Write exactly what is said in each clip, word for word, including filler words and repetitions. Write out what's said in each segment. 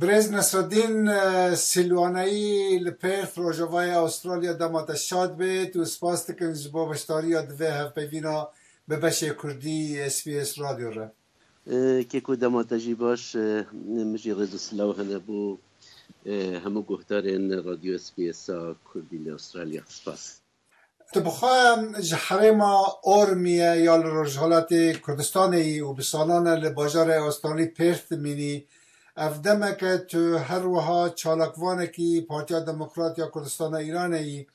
Birêz Nesreddîn, e, Silwaneyî li Perth, Rojavayê Astralya, dema te şad bêt û spas dikin ji bo beşdariya di vê hevpeyvîna bi beşê Kurdî S B S Radyo re. E, keko, dema te jî baş, e, min jî rêz û silav hene bo, e, hemû guhdarên Radyo S B S a Kurdî li Astralya. Spas. Tu bixwe ji herêma Ormiye ya li rojhilatê Kurdistanê yî û bi salan e li bajarê Astralî Perth dimînî. Ev demeke tu her wiha çalakvanekî Partiya Demokrat ya Kurdistana Îranê yî.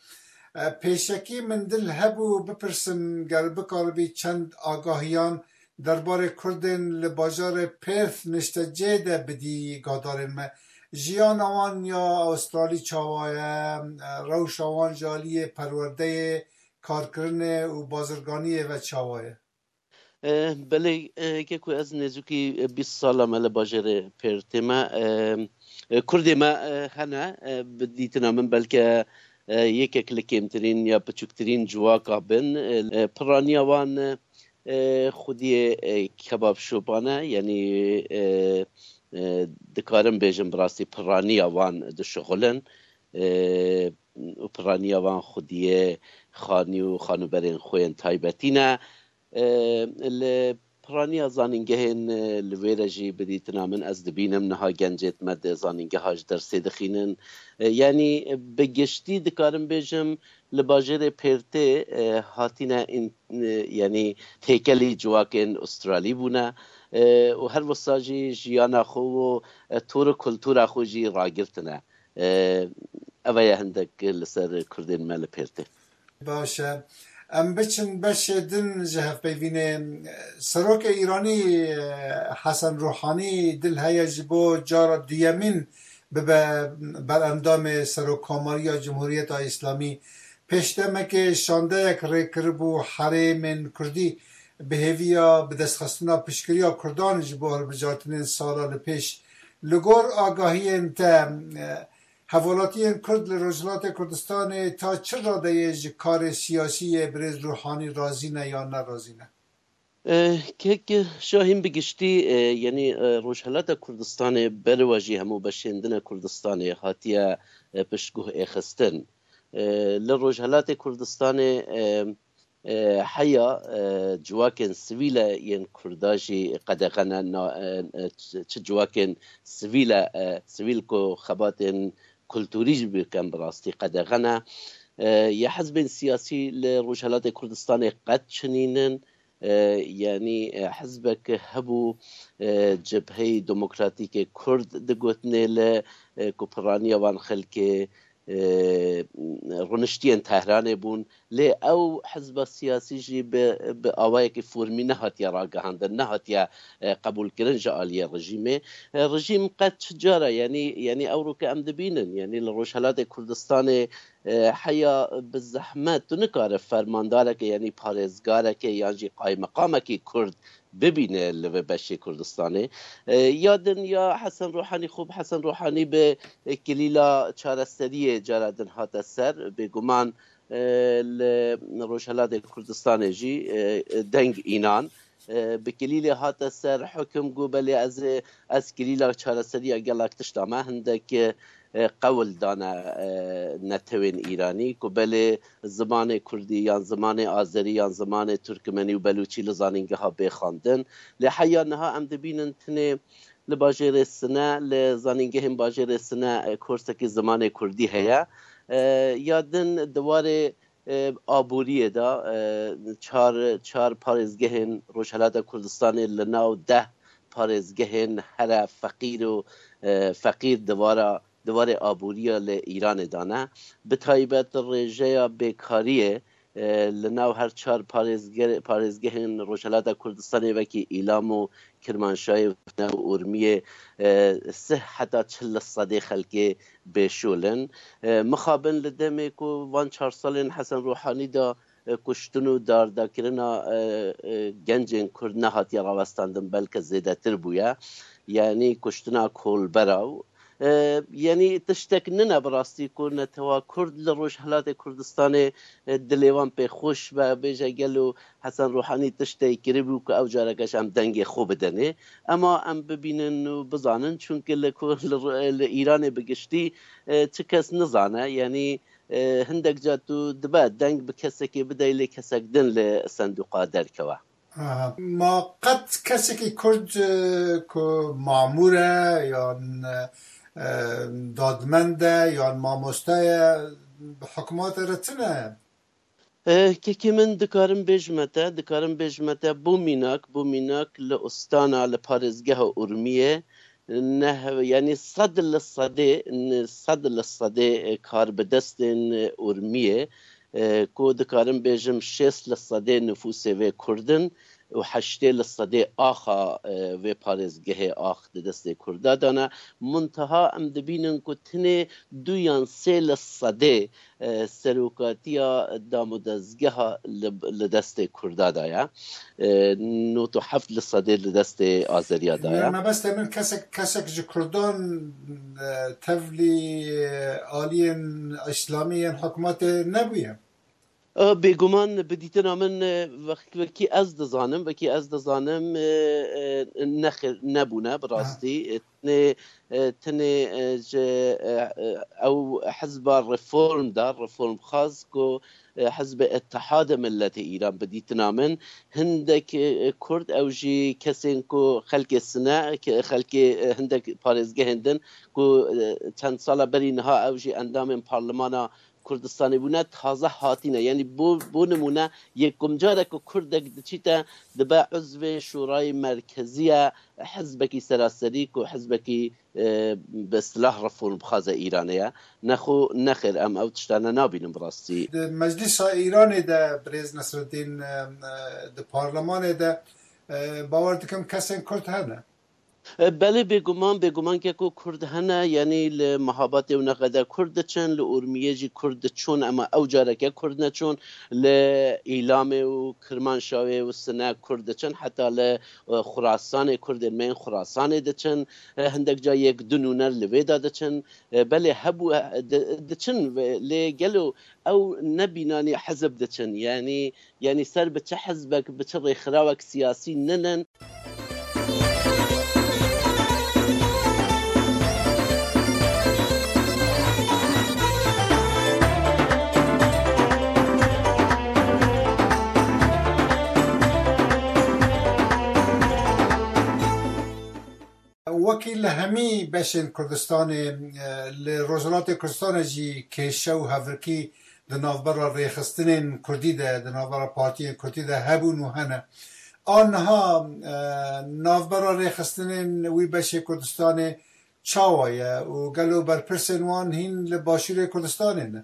E, pêşekî min dil hebû bipirsim ger bikaribî çend agahiyan derbarê Kurdên li bajarê Perth niştecê de bidî guhdarên me. Jiyana wan ya Astralî çawa ye? Rewşa wan ji aliyê perwerdeyê, karkirinê û bazirganiyê ve çawa ye? Eh, belê, eh, keko, ez nêzûkî, eh, bîst sala me li bajêrê Pêrtê me. Eh, eh, Kurdê me, eh, hene, eh, bi dîtina min belke, eh, yekek li kêmtirîn ya piçûktirîn ciwaka bin. Eh, eh, piraniya wan, eh, e, xwediyê, e, kebab şopan e, yanî, e, e, dikarim bêjim bi rastî piraniya wan dişixulin, e, û piraniya wan xwediyê xanî û xanûberên xwe yên taybetî ne. E, li piraniya zanîngehên, e, li wê re jî bi dîtina min ez dibînim niha gencêt me di zanîngeha ji dersê dixînin. E, yanî bi giştî dikarim bêjim, li bajêrê Pêrtê, e, hatine în-, e, yanî têkelî civakên Astralî bûne, e, û her wisa jî jiyana xwe û, e, tor û kultura xwe jî ragirtine. E, ev ye hindek li ser Kurdên me li Pêrtê. Baş e. Em biçin beşê din ji hevpeyvînê. Serokê Îranî, e, Hesen Ruhanî dil heye ji bo cara duyemîn bibe berendamê Serokkomariya Cumhuriyeta Îslamî. Pêş demekê şandeyek rê kiribû herêmên Kurdî bi hêviya bidestxistina piştgiriya Kurdan ji bo hilbijartinên sala li pêş. Li gor agahiyên te, e, hevalatiyên Kurd li Rojhilatê Kurdistanê ta çi radeyê ji karê siyasî yê birêz Ruhanî razî ne yan ne razî ne? Eh, kek Şahîn, bi giştî, eh, yanî, eh, Rojhelata Kurdistanê berwa jî hemû beşên din e Kurdistanê hatiye, eh, piştguh êxistin. Eh, li Rojhelatê Kurdistanê, eh, eh, heya, eh, civakên sivîl e yên Kurda jî qedexe ne, na, eh, eh, çi, çi civakên sivîl e, eh, sivîl ku xebatên kulturî jî bikin bi rastî qedexe ne. Eh, ya hizbên siyasî li Rojhelatê Kurdistanê qet çinînin. E, yanî, e, hizbek hebû, e, Cebheyê Demokratîkê Kurd digotinê li, e, ku piraniya wan xelkê, e, rûniştiyên Tehranê bûn. Lê ew hizba siyasî jî bi, bi awayekî formî nehatiye ragihandin, nehatiye, e, qebûlkirin ji aliyê rejîmê. E, rejîm qet çi cara, yanî, yanî ewro ke em dibînin, yanî li Rojhelatê Kurdistanê e, heya bi zehmet tu nikare fermandareke, yanî parêzgareke yan jî qaymeqamekî Kurd bibîne li vê beşê Kurdistanê. E, ya din ya Hesen Ruhanî, xwe bi Hesen Ruhanî bi, e, kilîla çareseriyê cara din hate ser. Bêguman, e, li Rojhelatê Kurdistanê jî, e, deng înan. E, bi kilîlê hate ser, hukim got, belê ez ê, ez kilîla çareseriya gelek tişta me, hindek, e, qewl dane, e, netewên Îranî ku belê zimanê Kurdî yan zimanê Azerî yan zimanê Turkmenî û Belûçî li zanîngeha bê xwendin. Lê heya niha em dibînin tinê li bajêrê Sine, li zanîngehên bajêrê Sine, e, korsekî zimanê Kurdî heye. E, ya din di warê e, aboriyê de, e, çar, çar parêzgehên Rojhelata Kurdistanê li nav deh parêzgehên here feqîr û, e, feqîr di vara, di warê aboriya li Îranê de ne. Bi taybet rêjeya bêkariyê, e, li nav her çar parêzge-, parêzgehên Rojhelata Kurdistanê wekî Îlam û Kirmanşahê û Urmiyê, e, sih heta çil li sedê xelkê bêşol in. E, mixabin li demê ku van çar salên Hesen Ruhanî de, e, kuştin û dardakirina, e, e, gencên Kurd nehatiye rawestandin, belke zêdetir bûye. Yanî kuştina kolbera û, E, Yanî tiştek nine bi rastî ku netewa Kurd li Rojhilatê Kurdistanê, e, dilê wan pê xweş be, bêje gelo Hesen Ruhanî tiştê kiribû ku ew carekeş em dengê xwe bidenê. Ema em bibînin û bizanin, çunke li ku-, li, li Îranê bi giştî, e, çi kes nizane. Yanî, e, hindek ca tu dibe deng bi kesekê bidey, lê kesek din li sendûqa derkewe. Aha. Ma qet kesekî Kurd, e, ku mamûr e, yan, e, dadmend e, yan mamoste ye, bi hikûmetê re tune? E, kekê min, dikarim bêjime te, dikarim bêjime te, bo mînak, bo mînak li Ostana, li parêzgeha Urmiyê, ne, yanî sed li sedê, n-, sed li sedê, e, karbidestên, e, Urmiyê, e, ku dikarim bêjim şêst li sedê nifûsê vê Kurd in û heştê li sedê axa, e, vê parêzgehê ax di destê Kurda de ne. Munteha em dibînin ku tenê du yan sê li sedê, e, serokatiya damûdezgeha li, li destê Kurda de ye. E, nod û heft li sedê li destê Azeriya de ye. Mebestê min kesek, kesek ji Kurdan, e, tevlî, e, aliyên îslamî yên hikûmetê nebûye. E, bêguman bi dîtina min, e, wek-, wekî ez dizanim, wekî ez dizanim, e, e, nexir, nebûne bi rastî. E, tenê, e, tenê, e, ji, e, e, ew hizba reform de, reformxwaz ku, e, hizbê Ittihadê Milletê Îran bi dîtina min, hindek, e, Kurd ew jî kesên ku xelkê sine, ke-, xelkê, e, hindek parêzgehên din ku, e, çend sala berî niha ew jî endamên parlemana Kurdistanê bûne, taze hatine. Yanî bo, bo nimûne, yê ku careke Kurdek diçîte, dibe uzvê Şûrayê Merkezî ye, hizbekî seraserî ku hizbekî, e, bi istilah reformxwaze Îranê ye. Nexwe, nexêr, em ew tiştane nabînin bi rastî. Di Meclîsa Îranê de, birêz Nesreddîn, e, e, di parlemanê de, e, bawer dikim kesên Kurd hene. E, belê, bêguman, bêguman ke ku Kurd hene, yanî li Mehabatê û Nexedê Kurd diçin, li Urmiyê jî Kurd diçûn, ema ew careke Kurd neçûn, li Îlamê û Kirmanşahê û Sine Kurd diçin, heta li, e, Xurasanê Kurdên me yên Xurasanê diçin, e, hindek ca yek du nûner li vê de diçin. E, belê hebû, e, di-, diçin ve, lê gelo ew ne bînanî hizb diçin, yanî, yanî ser bi çi hizbek, bi çi rêxirawek siyasî ninin. Wekî li hemî beşên Kurdistanê, e, li Rojhilatê Kurdistanê jî kêşe û hevrikî di navbera rêxistinên Kurdî de, di navbera partiyên Kurdî de hebûn û hene. A niha, e, navbera rêxistinên wî beşê Kurdistanê çawa ye û gelo berpirsên wan hîn li Başûrê Kurdistanê ne?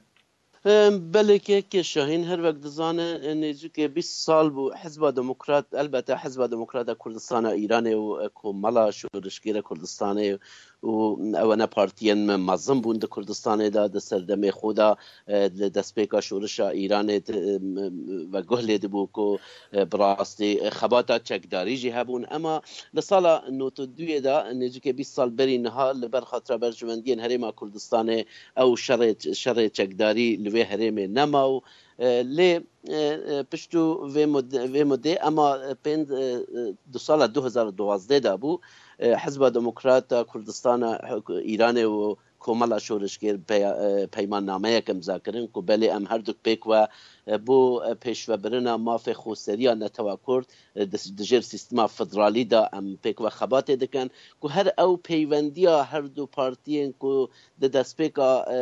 Em, belê kekê Şahîn, her wek dizane, e, nêzîkê bîst sal bû Hizba Demokrat, elbette Hizba Demokrat a Kurdistana Îranê û, e, Komela Şorişgêra Kurdistanê û ew ne partiyên me mezin bûn di Kurdistanê de, di serdemê xwe de, e, li destpêka şorişa Îranê di, e, m-, m-, veguh lê dibû ku, e, bi rastî, e, xebata çekdarî jî hebûn. Ema li sala nod û duyê de, nêzîkê bîst sal berî niha, li ber xatira berjewendiyên Herêma Kurdistanê, ew şerê, şerê çekdarî li vê herêmê nema û, e, lê, e, e, piştû vê mud-, vê mudê, ema, e, pênc, e, e, di sala du hezar û duwazdeh de bû, e, Hizba Demokrat a Kurdistana, e, Îranê û Komela Şorişgêr peya-, e, peymannameyek imza kirin ku belê em her du pêk ve, e, bo, e, pêşvebirina mafê xweseriya netewa Kurd, e, di, di jêr sîstema federalî de em pêk ve xebatê dikin, ku her ew peywendiya her du partiyên ku di destpêka, e,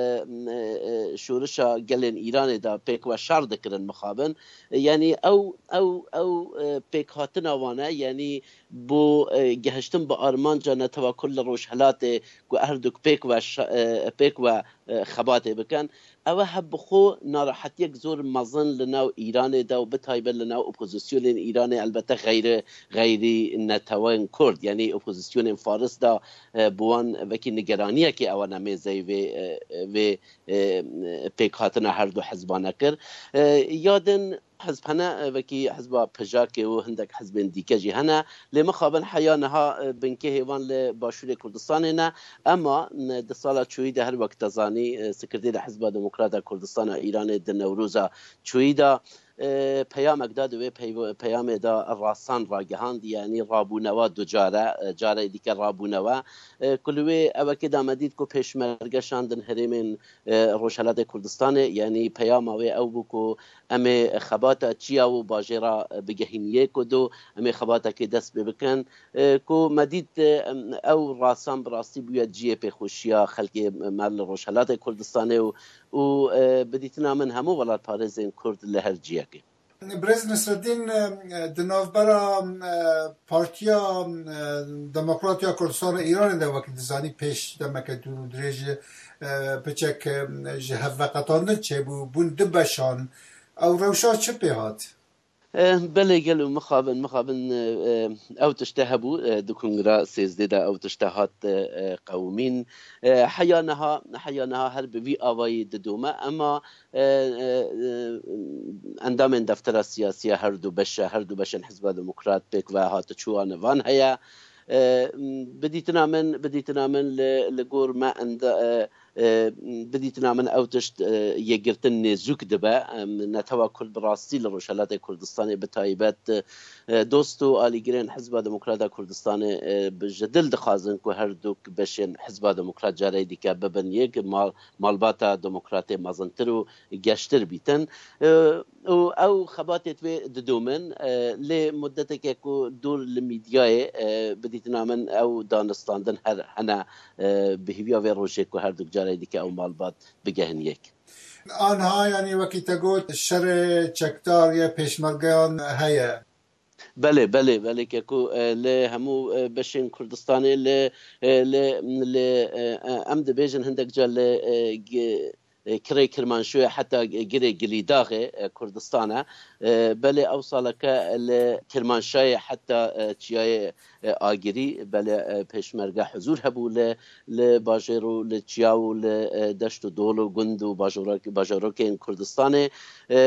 e, e, şorişa gelên Îranê de pêk ve şer dikirin mixabin. E, yanî ew, ew, ew, e, pêkhatina wan e, yanî bo, e, gehiştin bi armanca netewa Kurd li Rojhilatê ku her du pêk ve şa-, e, pêk ve, e, xebatê bikin. Ew e heb bi xwe narahetiyek zor mezin li nav Îranê de û bi taybet li nav opozisyonên Îranê, elbette xeyri, xeyrî netewên Kurd, yanî opozisyonên Faris de, e, bi wan wekî nigeraniyekê ew ne mêzeyî vê, e, vê, e, pêkhatina her du hizbane kir. E, ya din, Hizb hene, e, wekî hizba P J Kê û hindek hizbên dîke jî hene. Lê mixabin heya niha, e, binkê hêvan li Başûrê Kurdistanê ne. Ema, e, di sala çûyî de her wek te zanî, e, Sekreterê Hizba Demokrata Kurdistana Îranê di Newroza çûyî de, e, peyamek da, di wê peyv-, peyamê de rasan ragihand, yanî rabûnewa du care, e, carê dîke rabûnewa. E, ku li wê ewekê de me dît ku pêşmerge şandin herêmên, e, Rojhelatê Kurdistanê, yanî peyama wê ew bû ku em ê xebata çiya û bajêra bigehîniyê ku do em ê xebatekê dest pê bikin. E, ku me dît, e, em, ew rasan bi rastî bûye cihê pêxweşiya xelkê me li Rojhelatê Kurdistanê û, û, e, bi dîtina min hemû welatparêzên Kurd li her ciyekê. Birêz Nesreddîn, e, di navbera, e, Partiya, e, Demokrat ya Kurdistana Îranê de wekî dizanî pêş demeke dûr û dirêj, e, piçek, e, ji hevveqetandin çêbû, bûn du beşan. Ew rewşa çi pê hat? Eh, belê gelo mixabin, mixabin, eh, eh, ew tişte hebû, eh, di kongra sêzdê de ew tişte hat, eh, eh, qewimîn. Eh, heya niha, heya niha her bi vî avayî didome, ema, eh, eh, eh, endamên deftera siyasiya her du beşe, her du beşên Hizba Demokrat pêk ve hatiçû anivan heye. Eh, bi dîtina min, bi dîtina min li, li gor me enda-, eh, e, bidîtina min ew tişt, e, yekgirtin nêzûk dibe. Em, netewa Kurd bi rastî li Rojhelatê Kurdistanê bi taybet, e, dost û alîgirên Hizba Demokrat a Kurdistanê, e, bi, ji dil dixwazin ku her du beşên Hizba Demokrat careyê dîke bibin yek, mal-, malbata demokratê mezintir û geştir bîtin. E, û ew xebatê divê didomin, e, lê mudeteke ku dûr li mîdyayê, e, bidîtina min ew danistandin her hene, e, bi hêviya vê rojê ku her du carê dike ew malbat bigehên yek. Anha, yanî wekî te got, şerê çekdar ya pêşmergeyan heye. Belê, belê, belê ke ku, e, li hemû, e, beşên Kurdistanê li, e, li, li, e, e, em dibêjin hindek ca li, e, gi-, e, kirê Kirmanşoyê heta girê Gilîdaxê, e, Kurdistan e. E, belê ew saleke li Kirmanşayê heta, e, çiyayê, e, Agirî, belê, e, pêşmerge huzûr hebû li, li bajêr û li çiya û li, e, deşt û dol û gund û bajorek-, bajarokên Kurdistanê. E,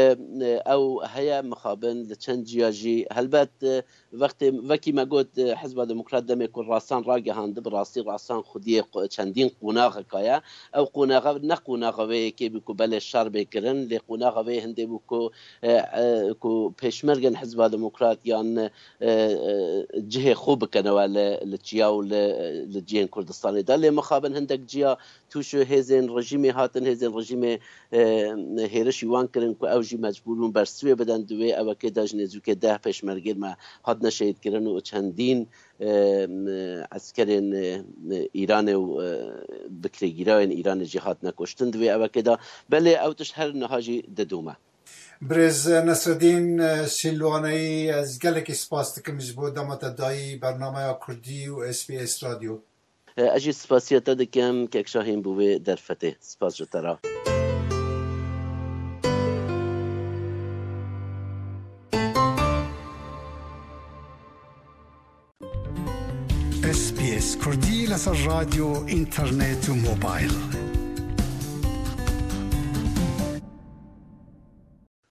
e, ew heye mixabin li çend ciya jî helbet, e, Wextê, wekî me got, e, Hizba Demokrat demê ku rasan ragihand, bi rastî rasan xwediyê qu-, çendîn qonaxeka ye. Ew qonaxa ne qonaxa vê yekê bû ku belê şer bê kirin, lê qonaxa vê hindê bû ku, e, e, ku pêşmergên Hizba Demokrat yan, e, e, cihê xwe bikenewe li, li çiya û li, li cihên Kurdistanê de. Lê mixabin hindek ciya tûşo hêzên rejîmê hatin, hêzên rejîmê, e, hêrişî wan kirin ku ew jî mecbûr bûn bersivê bidin. Di wê ewekê de ji nêzûkê deh pêşmergên me hatine şehîdkirin û çendîn, e, eskerên, e, Îranê û, e, bi kirêgîrayên Îranê jî hatine kuştin di wê ewekê de. Belê ew tişt her niha jî didome. Birêz Nesreddîn, e, Sîlwaneyî, ez gelekî spas dikim ji bo dema te dayî bernameya Kurdî û S B S Radyo. Ez jî spasiya te dikim, kek Şahîn, bo vê derfetê. Spas ji te re. S B S Kurdî li ser radyo, înternet û mobil.